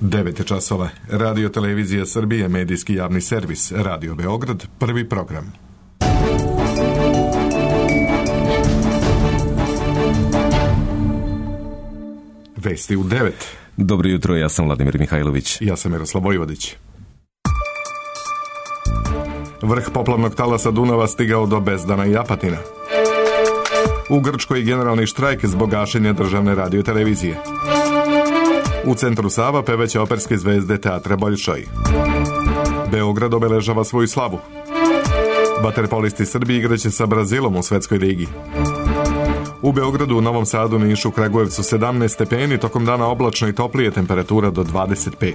9 časova. Radio Televizija Srbije, medijski javni servis, Radio Beograd, prvi program. Vesti u 9. Dobro jutro, ja sam Vladimir Mihajlović. Ja sam Miroslav Vojvodić. Vrh poplavnog talasa Dunava stigao do Bezdana i Apatina. U Grčkoj generalni štrajk zbog gašenja državne radiotelevizije. U centru Sava pevaće operske zvezde teatra Boljšoj. Beograd obeležava svoju slavu. Vaterpolisti Srbije igraće sa Brazilom u svetskoj ligi. U Beogradu, u Novom Sadu, Nišu, Kragujevcu 17 stepeni, tokom dana oblačno i toplije, temperatura do 25.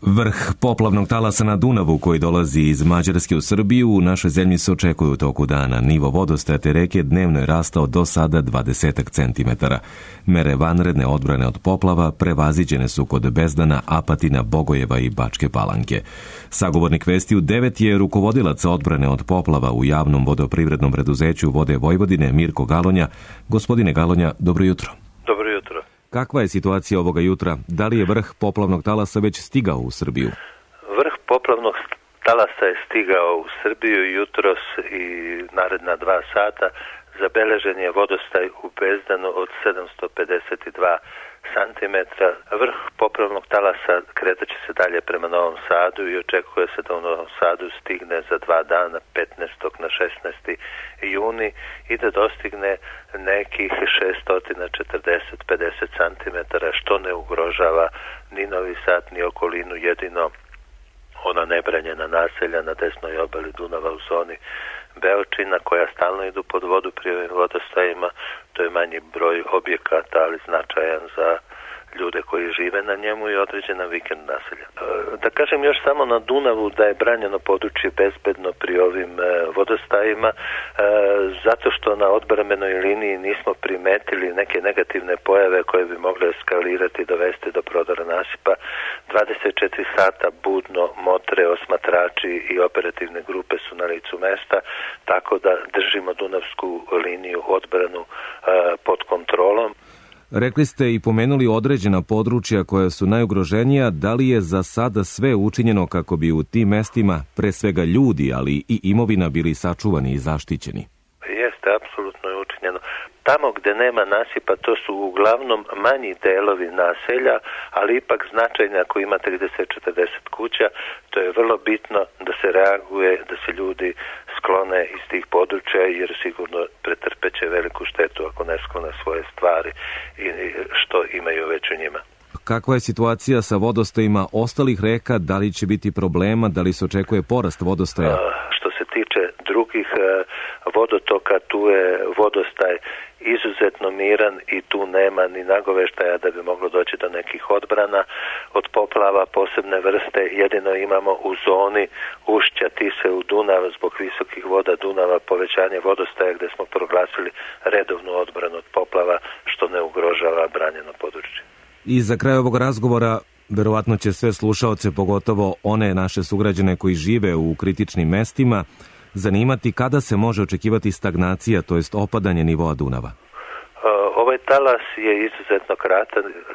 Vrh poplavnog talasa na Dunavu koji dolazi iz Mađarske u Srbiju u našoj zemlji se očekuje u toku dana. Nivo vodostaja te reke dnevno je rastao do sada 20 centimetara. Mere vanredne odbrane od poplava prevaziđene su kod Bezdana, Apatina, Bogojeva i Bačke Palanke. Sagovornik Vesti u 9 je rukovodilac odbrane od poplava u javnom vodoprivrednom preduzeću Vode Vojvodine Mirko Galonja. Gospodine Galonja, dobro jutro. Dobro jutro. Kakva je situacija ovoga jutra? Da li je vrh poplavnog talasa već stigao u Srbiju? Vrh poplavnog talasa je stigao u Srbiju jutros i naredna 2 sata. Zabeležen je vodostaj u Bezdanu od 752 cm. Vrh poplavnog talasa kretaće se dalje prema Novom Sadu i očekuje se da u Novom Sadu stigne za 2 dana, 15. na 16. juni i da dostigne nekih 640-50 cm, što ne ugrožava ni Novi Sad, ni okolinu, jedino ona nebranjena naselja na desnoj obali Dunava u zoni Beočina koja stalno idu pod vodu pri ovim vodostajima. To je manji broj objekata, ali značajan za ljude koji žive na njemu i određena vikend naselja. Da kažem još samo na Dunavu da je branjeno područje bezbedno pri ovim vodostajima, zato što na odbrambenoj liniji nismo primetili neke negativne pojave koje bi mogle eskalirati i dovesti do prodora nasipa. 24 sata budno motre, osmatrači i operativne grupe su na licu mesta, tako da držimo Dunavsku liniju odbranu pod kontrolom. Rekli ste i pomenuli određena područja koja su najugroženija. Da li je za sada sve učinjeno kako bi u tim mestima, pre svega ljudi, ali i imovina, bili sačuvani i zaštićeni? Jeste, apsolutno je učinjeno. Tamo gde nema nasipa, to su uglavnom manji delovi naselja, ali ipak značajni ako ima 30-40 kuća. To je vrlo bitno da se reaguje, da se ljudi sklone iz tih područja, jer sigurno pretrpeće veliku štetu ako ne sklone svoje stvari i što imaju već u njima. Kakva je situacija sa vodostajima ostalih reka? Da li će biti problema? Da li se očekuje porast vodostaja? Što se tiče drugih vodotoka, tu je vodostaj izuzetno miran i tu nema ni nagoveštaja da bi moglo doći do nekih odbrana od poplava posebne vrste. Jedino imamo u zoni ušća Tise u Dunav zbog visokih voda Dunava povećanje vodostaja gde smo proglasili redovnu odbranu od poplava, što ne ugrožava branjeno područje. I za kraj ovog razgovora verovatno će sve slušaoce, pogotovo one naše sugrađane koji žive u kritičnim mestima, zanimati kada se može očekivati stagnacija, to jest opadanje nivoa Dunava. Ovaj talas je izuzetno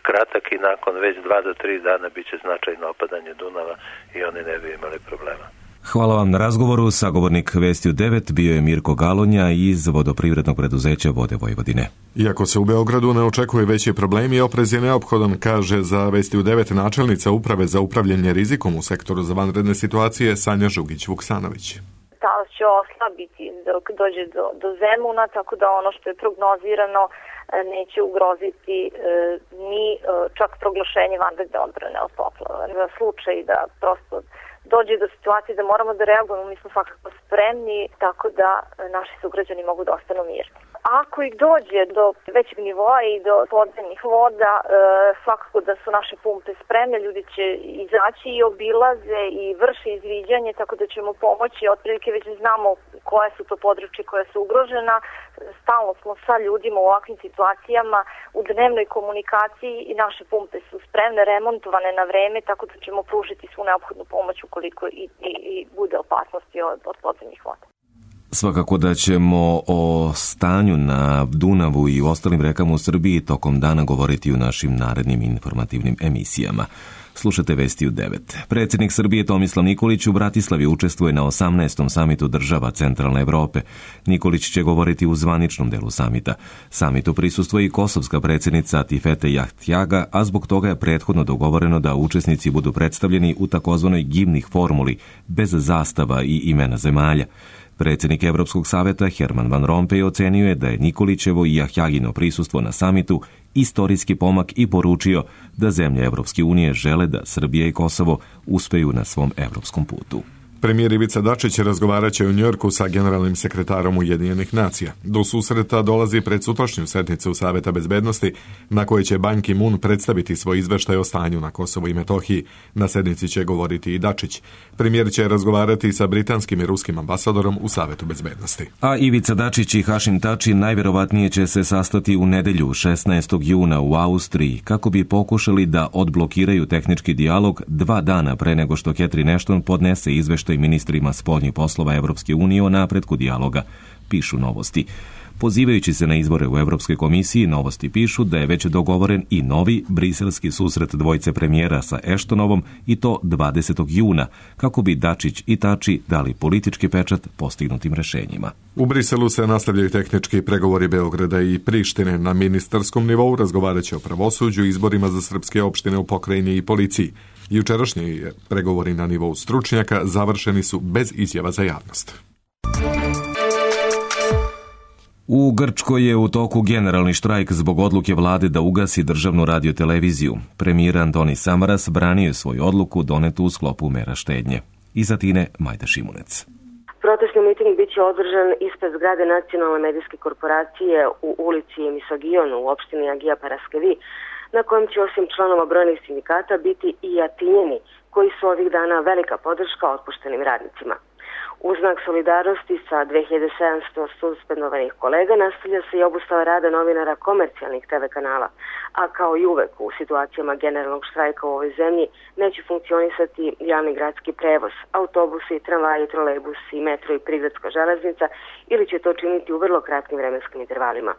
kratak i nakon već 2 do 3 dana bit će značajno opadanje Dunava i oni ne bi imali problema. Hvala vam na razgovoru. Sagovornik Vesti u 9 bio je Mirko Galonja iz vodoprivrednog preduzeća Vode Vojvodine. Iako se u Beogradu ne očekuje veći problemi, oprez je neophodan, kaže za Vesti u 9 načelnica Uprave za upravljanje rizikom u sektoru za vanredne situacije Sanja Žugić-Vuksanović. Talas će oslabiti dok dođe do Zemuna, tako da ono što je prognozirano neće ugroziti ni čak proglašenje vanredne odbrane od poplava. Za slučaj da prosto dođe do situacije da moramo da reagujemo, mi smo svakako spremni, tako da naši sugrađani mogu da ostanu mirni. Ako ih dođe do većeg nivoa i do podzemnih voda, svakako da su naše pumpe spremne, ljudi će izaći i obilaze i vrše izviđanje, tako da ćemo pomoći. Otprilike već znamo koje su to područje koja su ugrožena. Stalno smo sa ljudima u ovakvim situacijama u dnevnoj komunikaciji i naše pumpe su spremne, remontovane na vreme, tako da ćemo pružiti svu neophodnu pomoć ukoliko i bude opasnosti od podzemnih voda. Svakako da ćemo o stanju na Dunavu i u ostalim rekama u Srbiji tokom dana govoriti u našim narednim informativnim emisijama. Slušate Vesti u 9. Predsjednik Srbije Tomislav Nikolić u Bratislavi učestvuje na 18. samitu država Centralne Evrope. Nikolić će govoriti u zvaničnom delu samita. Samitu prisustvuje i kosovska predsjednica Tifete Jahtjaga, a zbog toga je prethodno dogovoreno da učesnici budu predstavljeni u takozvanoj gimnih formuli, bez zastava i imena zemalja. Predsjednik Evropskog savjeta Herman Van Rompuy ocenio je da je Nikolićevo i Jahtjagino prisustvo na samitu istorijski pomak i poručio da zemlje Evropske unije žele da Srbija i Kosovo uspeju na svom evropskom putu. Premijer Ivica Dačić razgovarat će u Njujorku sa generalnim sekretarom Ujedinjenih nacija. Do susreta dolazi pred sutrašnju sednicu Saveta bezbednosti, na kojoj će Ban Ki-moon predstaviti svoj izveštaj o stanju na Kosovu i Metohiji. Na sednici će govoriti i Dačić. Premijer će razgovarati sa britanskim i ruskim ambasadorom u Savetu bezbednosti. A Ivica Dačić i Hašim Tači najvjerovatnije će se sastati u nedelju 16. juna u Austriji kako bi pokušali da odblokiraju tehnički dijalog 2 dana pre nego što Catherine Ashton podnese izveštaj ministrima spoljnih poslova Evropske unije o napretku dijaloga, pišu Novosti. Pozivajući se na izbore u Evropskoj komisiji, Novosti pišu da je već dogovoren i novi briselski susret dvojice premijera sa Ashtonovom i to 20. juna, kako bi Dačić i Tači dali politički pečat postignutim rešenjima. U Briselu se nastavljaju tehnički pregovori Beograda i Prištine. Na ministarskom nivou razgovarat će o pravosuđu, izborima za srpske opštine u pokrajini i policiji. Jučerašnji pregovori na nivou stručnjaka završeni su bez izjava za javnost. U Grčkoj je u toku generalni štrajk zbog odluke vlade da ugasi državnu radioteleviziju. Premijer Antonis Samaras branio je svoju odluku donetu u sklopu mera štednje. Iz Atine Majda Šimunec. Protestni miting biće održan ispred zgrade Nacionalne medijske korporacije u ulici Misogijonu u opštini Agija Paraskevi, na kojem će osim članova brojnih sindikata biti i Atinjani, koji su ovih dana velika podrška otpuštenim radnicima. U znak solidarnosti sa 2700 suspendovanih kolega nastavlja se i obustava rada novinara komercijalnih TV kanala, a kao i uvek u situacijama generalnog štrajka u ovoj zemlji neće funkcionisati javni gradski prevoz, autobusi, tramvaji, trolejbusi, metro i prigradska železnica ili će to činiti u vrlo kratkim vremenskim intervalima.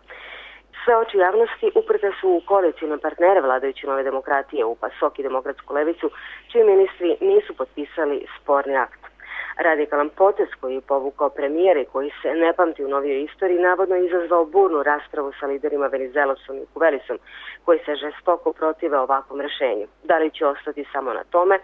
Sve oči javnosti uprte su u koalicijne partnere vladajuće Nove demokratije u PASOK i Demokratsku levicu, čiji ministri nisu potpisali sporni akt. Radikalan potez koji je povukao premijer i koji se ne pamti u novijoj istoriji navodno izazvao burnu raspravu sa liderima Venizelosom i Kuvelisom, koji se žestoko protive ovakvom rešenju. Da li će ostati samo na tome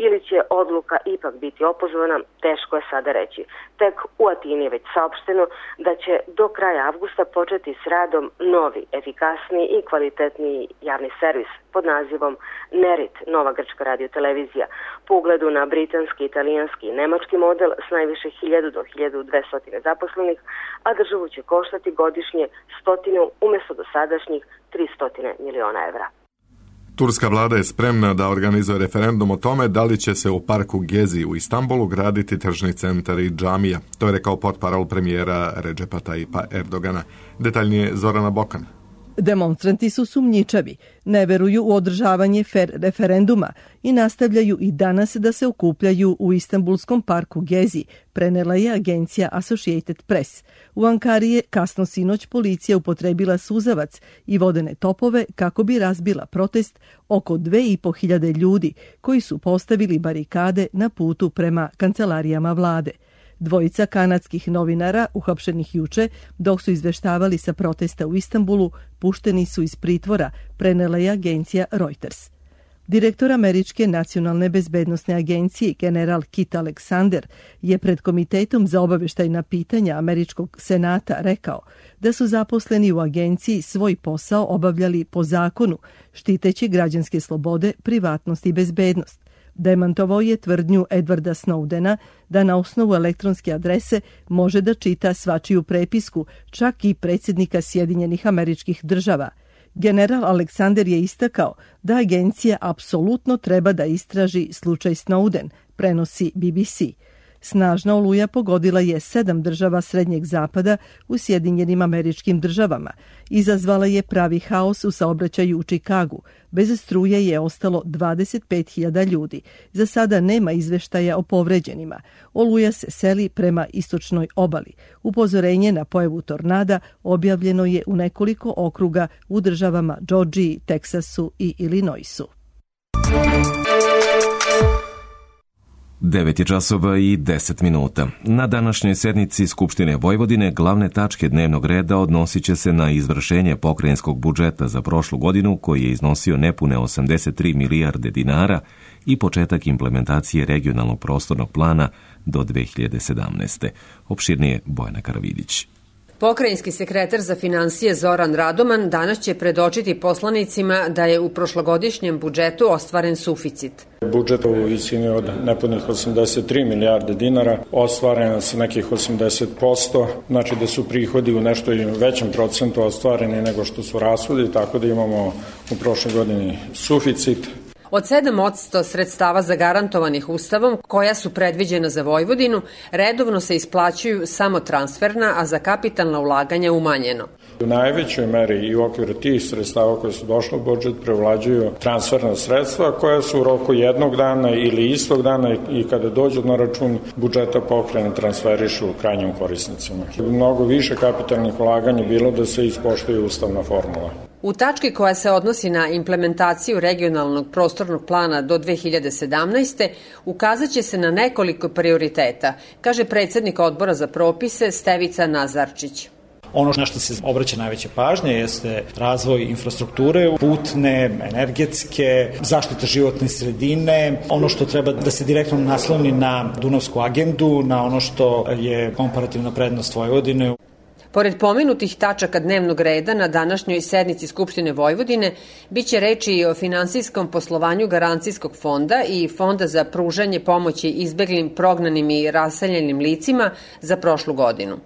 ili će odluka ipak biti opozvana, teško je sada reći. Tek u Atini je već saopšteno da će do kraja avgusta početi s radom novi, efikasniji i kvalitetniji javni servis pod nazivom Nerit, nova grčka radiotelevizija, po ugledu na britanski, italijanski i nemački model s najviše 1000 do 1200 zaposlenih, a državu će koštati godišnje 100 umjesto dosadašnjih 300 miliona evra. Turska vlada je spremna da organizuje referendum o tome da li će se u parku Gezi u Istanbulu graditi tržni centar i džamija. To je rekao portparol premijera Redžepa Tayyipa Erdogana. Detaljnije Zorana Bokan. Demonstranti su sumnjičavi, ne veruju u održavanje referenduma i nastavljaju i danas da se okupljaju u Istanbulskom parku Gezi, prenela je agencija Associated Press. U Ankari je kasno sinoć policija upotrebila suzavac i vodene topove kako bi razbila protest oko 2500 ljudi koji su postavili barikade na putu prema kancelarijama vlade. Dvojica kanadskih novinara, uhapšenih juče, dok su izveštavali sa protesta u Istanbulu, pušteni su iz pritvora, prenela je agencija Reuters. Direktor Američke nacionalne bezbednosne agencije, general Kit Alexander, je pred Komitetom za obaveštajna pitanja Američkog senata rekao da su zaposleni u agenciji svoj posao obavljali po zakonu, štiteći građanske slobode, privatnost i bezbednost. Demantovao je tvrdnju Edwarda Snowdena da na osnovu elektronske adrese može da čita svačiju prepisku, čak i predsjednika Sjedinjenih Američkih Država. General Alexander je istakao da agencija apsolutno treba da istraži slučaj Snowden, prenosi BBC. Snažna oluja pogodila je 7 država Srednjeg zapada u Sjedinjenim Američkim Državama. Izazvala je pravi haos u saobraćaju u Čikagu. Bez struje je ostalo 25.000 ljudi. Za sada nema izveštaja o povređenima. Oluja se seli prema istočnoj obali. Upozorenje na pojavu tornada objavljeno je u nekoliko okruga u državama Džordžiji, Teksasu i Illinoisu. 9 časova i 10 minuta. Na današnjoj sednici Skupštine Vojvodine glavne tačke dnevnog reda odnosit će se na izvršenje pokrajinskog budžeta za prošlu godinu koji je iznosio nepune 83 milijarde dinara i početak implementacije regionalnog prostornog plana do 2017. Opširnije Bojana Karavidić. Pokrajinski sekretar za finansije Zoran Radoman danas će predočiti poslanicima da je u prošlogodišnjem budžetu ostvaren suficit. Budžet u visini od nepunih 83 milijarde dinara ostvareno sa nekih 80%, znači da su prihodi u nešto većem procentu ostvareni nego što su rashodi, tako da imamo u prošloj godini suficit. Od 7% sredstava zagarantovanih Ustavom, koja su predviđena za Vojvodinu, redovno se isplaćuju samo transferna, a za kapitalna ulaganja umanjeno. U najvećoj meri i u okviru tih sredstava koje su došle u budžet prevlađuju transferna sredstva koja su u roku jednog dana ili istog dana i kada dođu na račun budžeta pokrajine transferišu krajnjim korisnicima. Mnogo više kapitalnih ulaganja bilo da se ispoštuje ustavna formula. U tački koja se odnosi na implementaciju regionalnog prostornog plana do 2017. ukazat će se na nekoliko prioriteta, kaže predsjednik odbora za propise Stevica Nazarčić. Ono na što se obraća najveća pažnja jeste razvoj infrastrukture, putne, energetske, zaštita životne sredine, ono što treba da se direktno nasloni na Dunavsku agendu, na ono što je komparativna prednost Vojvodine. Pored pomenutih tačaka dnevnog reda na današnjoj sednici Skupštine Vojvodine biće reči i o finansijskom poslovanju Garancijskog fonda i Fonda za pružanje pomoći izbeglim, prognanim i raseljenim licima za prošlu godinu.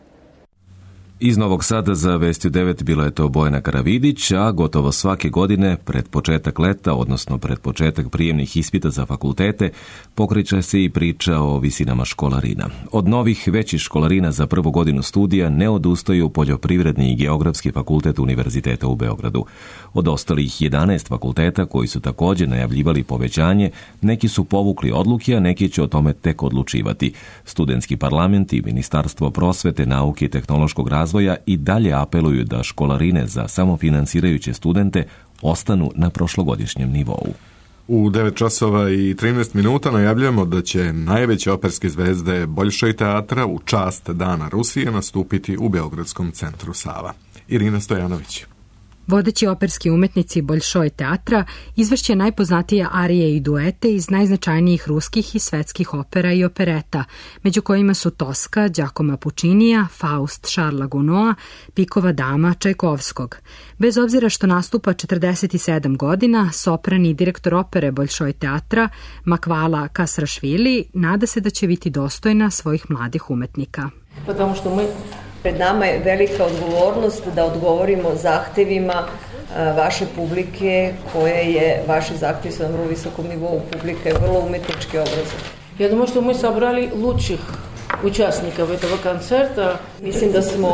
Iz Novog Sada za Vesti 9 bila je to Bojana Karavidić, a gotovo svake godine pred početak leta, odnosno pred početak prijemnih ispita za fakultete, pokreće se i priča o visinama školarina. Od novih većih školarina za prvu godinu studija ne odustaju Poljoprivredni i Geografski fakultet Univerziteta u Beogradu. Od ostalih 11 fakulteta koji su također najavljivali povećanje, neki su povukli odluke, a neki će o tome tek odlučivati. Studentski parlament i Ministarstvo prosvete, nauke i tehnološkog razvoja i dalje apeluju da školarine za samofinansirajuće studente ostanu na prošlogodišnjem nivou. U 9 časova i 13 minuta najavljujemo da će najveće operske zvezde Boljšoj teatra u čast Dana Rusije nastupiti u Beogradskom centru Sava. Irina Stojanović. Vodeći operski umetnici Boljšoj teatra izvršće najpoznatije arije i duete iz najznačajnijih ruskih i svetskih opera i opereta, među kojima su Toska, Giacomo Puccinija, Faust Šarla Gounod'a, Pikova dama Čajkovskog. Bez obzira što nastupa 47 godina, sopran i direktor opere Boljšoj teatra Makvala Kasrašvili nada se da će biti dostojna svojih mladih umetnika. Потому što pred nama je velika odgovornost da odgovorimo zahtevima vaše publike, koje je, vaši zahtevi su na vrlo visokom nivou, publika je vrlo umetnički obrazovana. Я думаю, что мы собрали лучших участников этого концерта. Mislim da smo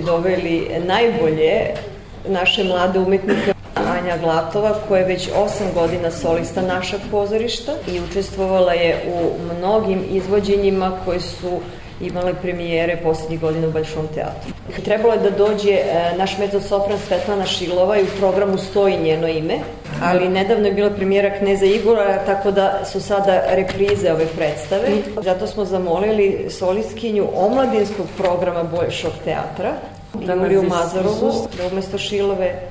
doveli najbolje naše mlade umetnike. Anja Glatova, koja je već 8 godina solista našeg pozorišta i učestvovala je u mnogim izvođenjima koje su imale premijere posljednjih godina u Boljšom teatru. Trebalo je da dođe naš mezzosopran Svetlana Šilova i u programu stoji njeno ime, ali nedavno je bila premijera Kneza Igora, tako da su sada reprize ove predstave. Zato smo zamolili solistkinju omladinskog programa Boljšog teatra, Juliju Mazarovu, da umesto Šilove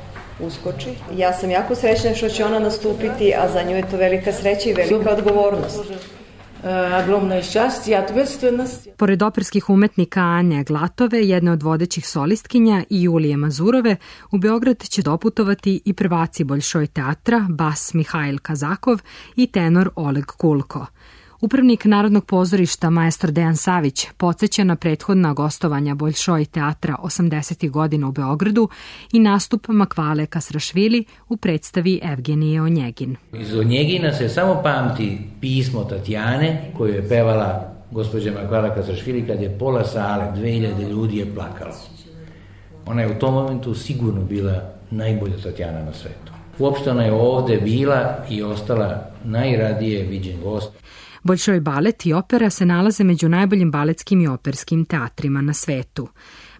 uskoči. Ja sam jako srećna što će ona nastupiti, a za nju je to velika sreća i velika odgovornost. Ogromno šťastie i odgovornost. Pored operskih umetnika Anje Glatove, jedne od vodećih solistkinja, i Julije Mazurove, u Beograd će doputovati i prvaci Boljšoj teatra, bas Mihajl Kazakov i tenor Oleg Kulko. Upravnik Narodnog pozorišta maestro Dejan Savić podsjeća na prethodna gostovanja Boljšoj teatra 80. godina u Beogradu i nastup Makvale Kasrašvili u predstavi Evgenije Onjegin. Iz Onjegina se samo pamti pismo Tatjane koju je pevala gospođa Makvala Kasašvili, kad je pola sale, 2000 ljudi je plakalo. Ona je u tom momentu sigurno bila najbolja Tatjana na svetu. Uopšte ona je ovde bila i ostala najradije viđen gost. Boljšoj balet i opera se nalaze među najboljim baletskim i operskim teatrima na svetu.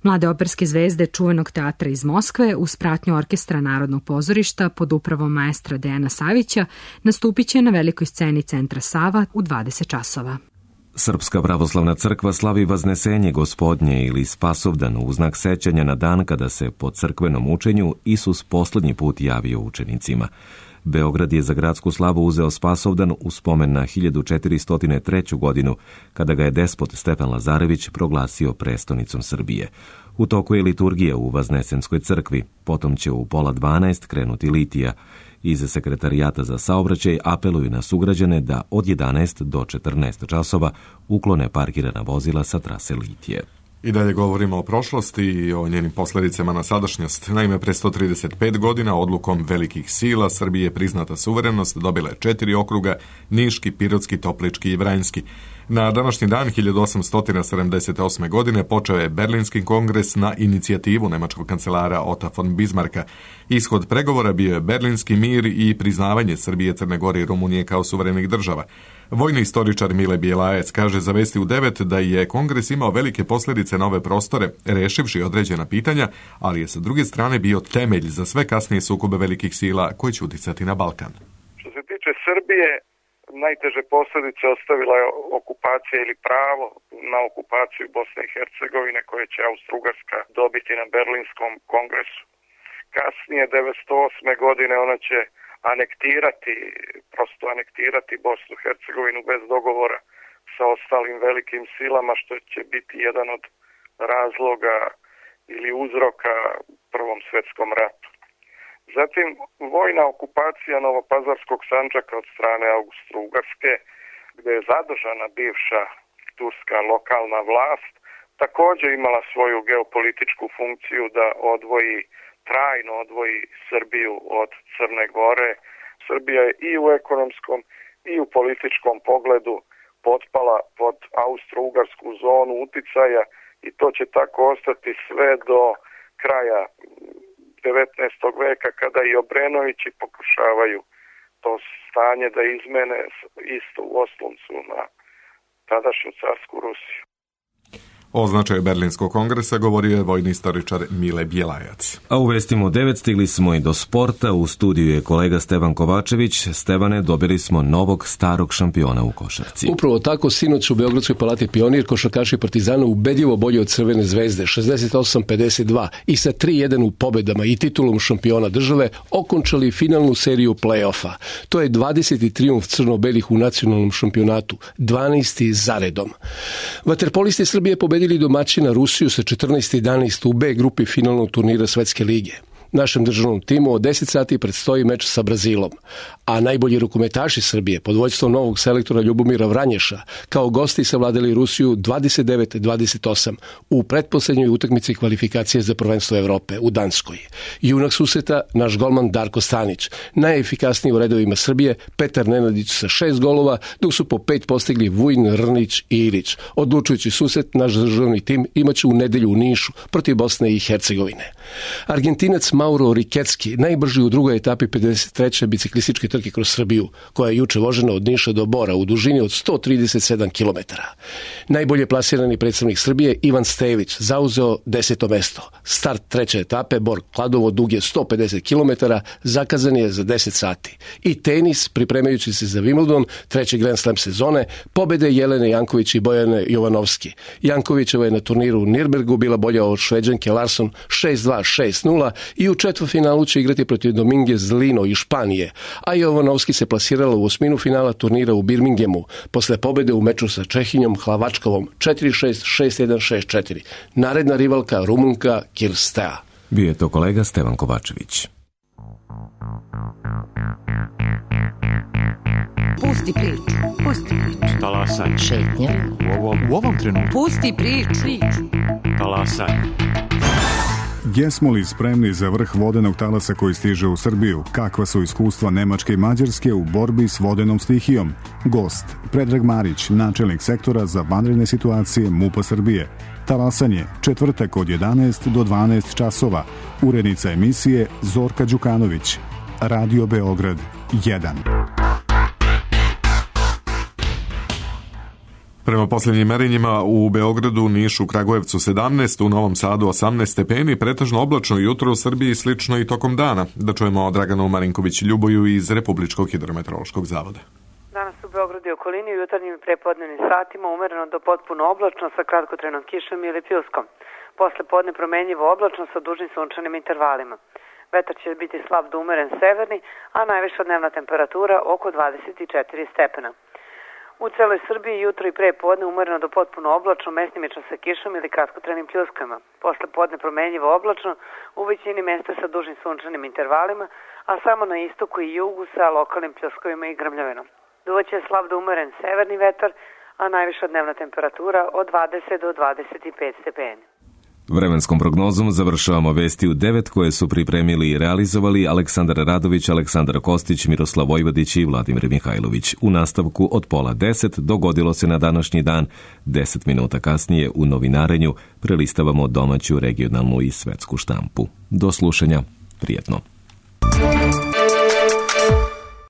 Mlade operske zvezde čuvenog teatra iz Moskve uz pratnju orkestra Narodnog pozorišta pod upravom maestra Dejana Savića nastupit će na velikoj sceni Centra Sava u 20 časova. Srpska pravoslavna crkva slavi Vaznesenje Gospodnje ili Spasovdan u znak sećanja na dan kada se po crkvenom učenju Isus poslednji put javio učenicima. Beograd je za gradsku slavu uzeo Spasovdan u spomen na 1403. godinu, kada ga je despot Stefan Lazarević proglasio prestonicom Srbije. U toku je liturgija u Vaznesenskoj crkvi, potom će u 11:30 krenuti litija. Iz Sekretarijata za saobraćaj apeluju na sugrađane da od 11 do 14 časova uklone parkirana vozila sa trase litije. I dalje govorimo o prošlosti i o njenim posledicama na sadašnjost. Naime, pre 135 godina odlukom velikih sila Srbije je priznata suverenost, dobila je 4 okruga, Niški, Pirotski, Toplički i Vranjski. Na današnji dan 1878. godine počeo je Berlinski kongres na inicijativu nemačkog kancelara Ota von Bismarcka. Ishod pregovora bio je Berlinski mir i priznavanje Srbije, Crne Gore i Rumunije kao suverenih država. Vojni istoričar Mile Bjelajac kaže za Vesti u 9 da je kongres imao velike posljedice na ove prostore, rešivši određena pitanja, ali je sa druge strane bio temelj za sve kasnije sukobe velikih sila koji će uticati na Balkan. Što se tiče Srbije, najteže posljedice ostavila je okupacija ili pravo na okupaciju Bosne i Hercegovine koje će Austro-Ugarska dobiti na Berlinskom kongresu. Kasnije, 1908. godine, ona će anektirati Bosnu i Hercegovinu bez dogovora sa ostalim velikim silama, što će biti jedan od razloga ili uzroka Prvom svjetskom ratu. Zatim, vojna okupacija Novopazarskog Sandžaka od strane Austro-Ugarske, gdje je zadržana bivša turska lokalna vlast, također imala svoju geopolitičku funkciju da trajno odvoji Srbiju od Crne Gore. Srbija je i u ekonomskom i u političkom pogledu potpala pod austro-ugarsku zonu uticaja i to će tako ostati sve do kraja 19. veka kada i Obrenovići pokušavaju to stanje da izmene isto u osloncu na tadašnju carsku Rusiju. O značaju Berlinskog kongresa govorio je vojni istoričar Mile Bjelajac. A u Vestima u 9 stigli smo i do sporta. U studiju je kolega Stevan Kovačević. Stevane, dobili smo novog starog šampiona u košarci. Upravo tako, sinoć u Beogradskoj palati Pionir košarkaši Partizana ubedljivo bolji od Crvene zvezde, 68-52 i sa 3-1 u pobedama i titulom šampiona države okončali finalnu seriju play-offa. To je 20. trijumf crno-belih u nacionalnom šampionatu, 12. zaredom. Vaterpolisti Srbije pobedili domaćina Rusiju sa 14-11 u B grupi finalnog turnira Svetske lige. Našem državnom timu od 10 sati predstoji meč sa Brazilom, a najbolji rukometaši Srbije pod vođstvom novog selektora Ljubomira Vranješa kao gosti savladali Rusiju 29-28 u pretposlednjoj utakmici kvalifikacije za prvenstvo Evrope u Danskoj. Junak susreta naš golman Darko Stanić, najefikasniji u redovima Srbije Petar Nenadić sa 6 golova, dok su po 5 postigli Vujin, Rnić i Ilić. Odlučujući susret naš državni tim imaće u nedelju u Nišu protiv Bosne i Hercegovine. Argentinac Mauro Rikecki, najbrži u drugoj etapi 53. biciklističke trke kroz Srbiju, koja je juče vožena od Niša do Bora u dužini od 137 km. Najbolje plasirani predstavnik Srbije Ivan Stević zauzeo 10. mesto. Start treće etape Bor Kladovo dug je 150 km, zakazan je za 10 sati. I tenis, pripremajući se za Wimbledon, treći Grand Slam sezone, pobede Jelene Janković i Bojane Jovanovski. Jankovićeva je na turniru u Nirnbergu bila bolja od Šveđanke Larsson 6-2, 6-0 i u četvrtfinalu će igrati protiv Domingue Zlino iz Španije, a Jovanovski se plasirala u osminu finala turnira u Birminghamu posle pobede u meču sa Čehinjom Hlavačkovom 4-6, 6-1, 6-4. Naredna rivalka Rumunka Kirstea. Bio je to kolega Stevan Kovačević. Pusti priču. Talasaj. Šetnja. U ovom trenutku. Pusti priču. Talasaj. Jesmo li spremni za vrh vodenog talasa koji stiže u Srbiju? Kakva su iskustva Nemačke i Mađarske u borbi s vodenom stihijom? Gost, Predrag Marić, načelnik sektora za vanredne situacije MUP-a Srbije. Talasanje, četvrtak od 11 do 12 časova. Urednica emisije Zorka Đukanović. Radio Beograd 1. Prema posljednjim merenjima u Beogradu, Nišu, Kragujevcu 17, u Novom Sadu 18 stepeni, pretežno oblačno jutro u Srbiji, slično i tokom dana. Da čujemo o Draganu Marinković-Ljuboju iz Republičkog hidrometeorološkog zavoda. Danas u Beogradu i okolini u jutarnjim i prepodnevnim satima umereno do potpuno oblačno sa kratkotrenom kišom ili pljuskom. Posle podne promenjivo oblačno sa dužnim sunčanim intervalima. Vetar će biti slab do umeren severni, a najviša dnevna temperatura oko 24 stepena. U celoj Srbiji jutro i pre podne umereno do potpuno oblačno, mestimično sa kišom ili kratkotrenim pljuskama. Posle podne promenjivo oblačno, u većini mesta sa dužnim sunčanim intervalima, a samo na istoku i jugu sa lokalnim pljuskovima i grmljavinom. Duvaće slab do umeren severni vetar, a najviša dnevna temperatura od 20 do 25 stepeni. Vremenskom prognozom završavamo vesti u 9 koje su pripremili i realizovali Aleksandar Radović, Aleksandar Kostić, Miroslav Vojvodić i Vladimir Mihajlović. U nastavku od 9:30 dogodilo se na današnji dan. 10 minuta kasnije u novinarenju prelistavamo domaću, regionalnu i svetsku štampu. Do slušanja, prijetno.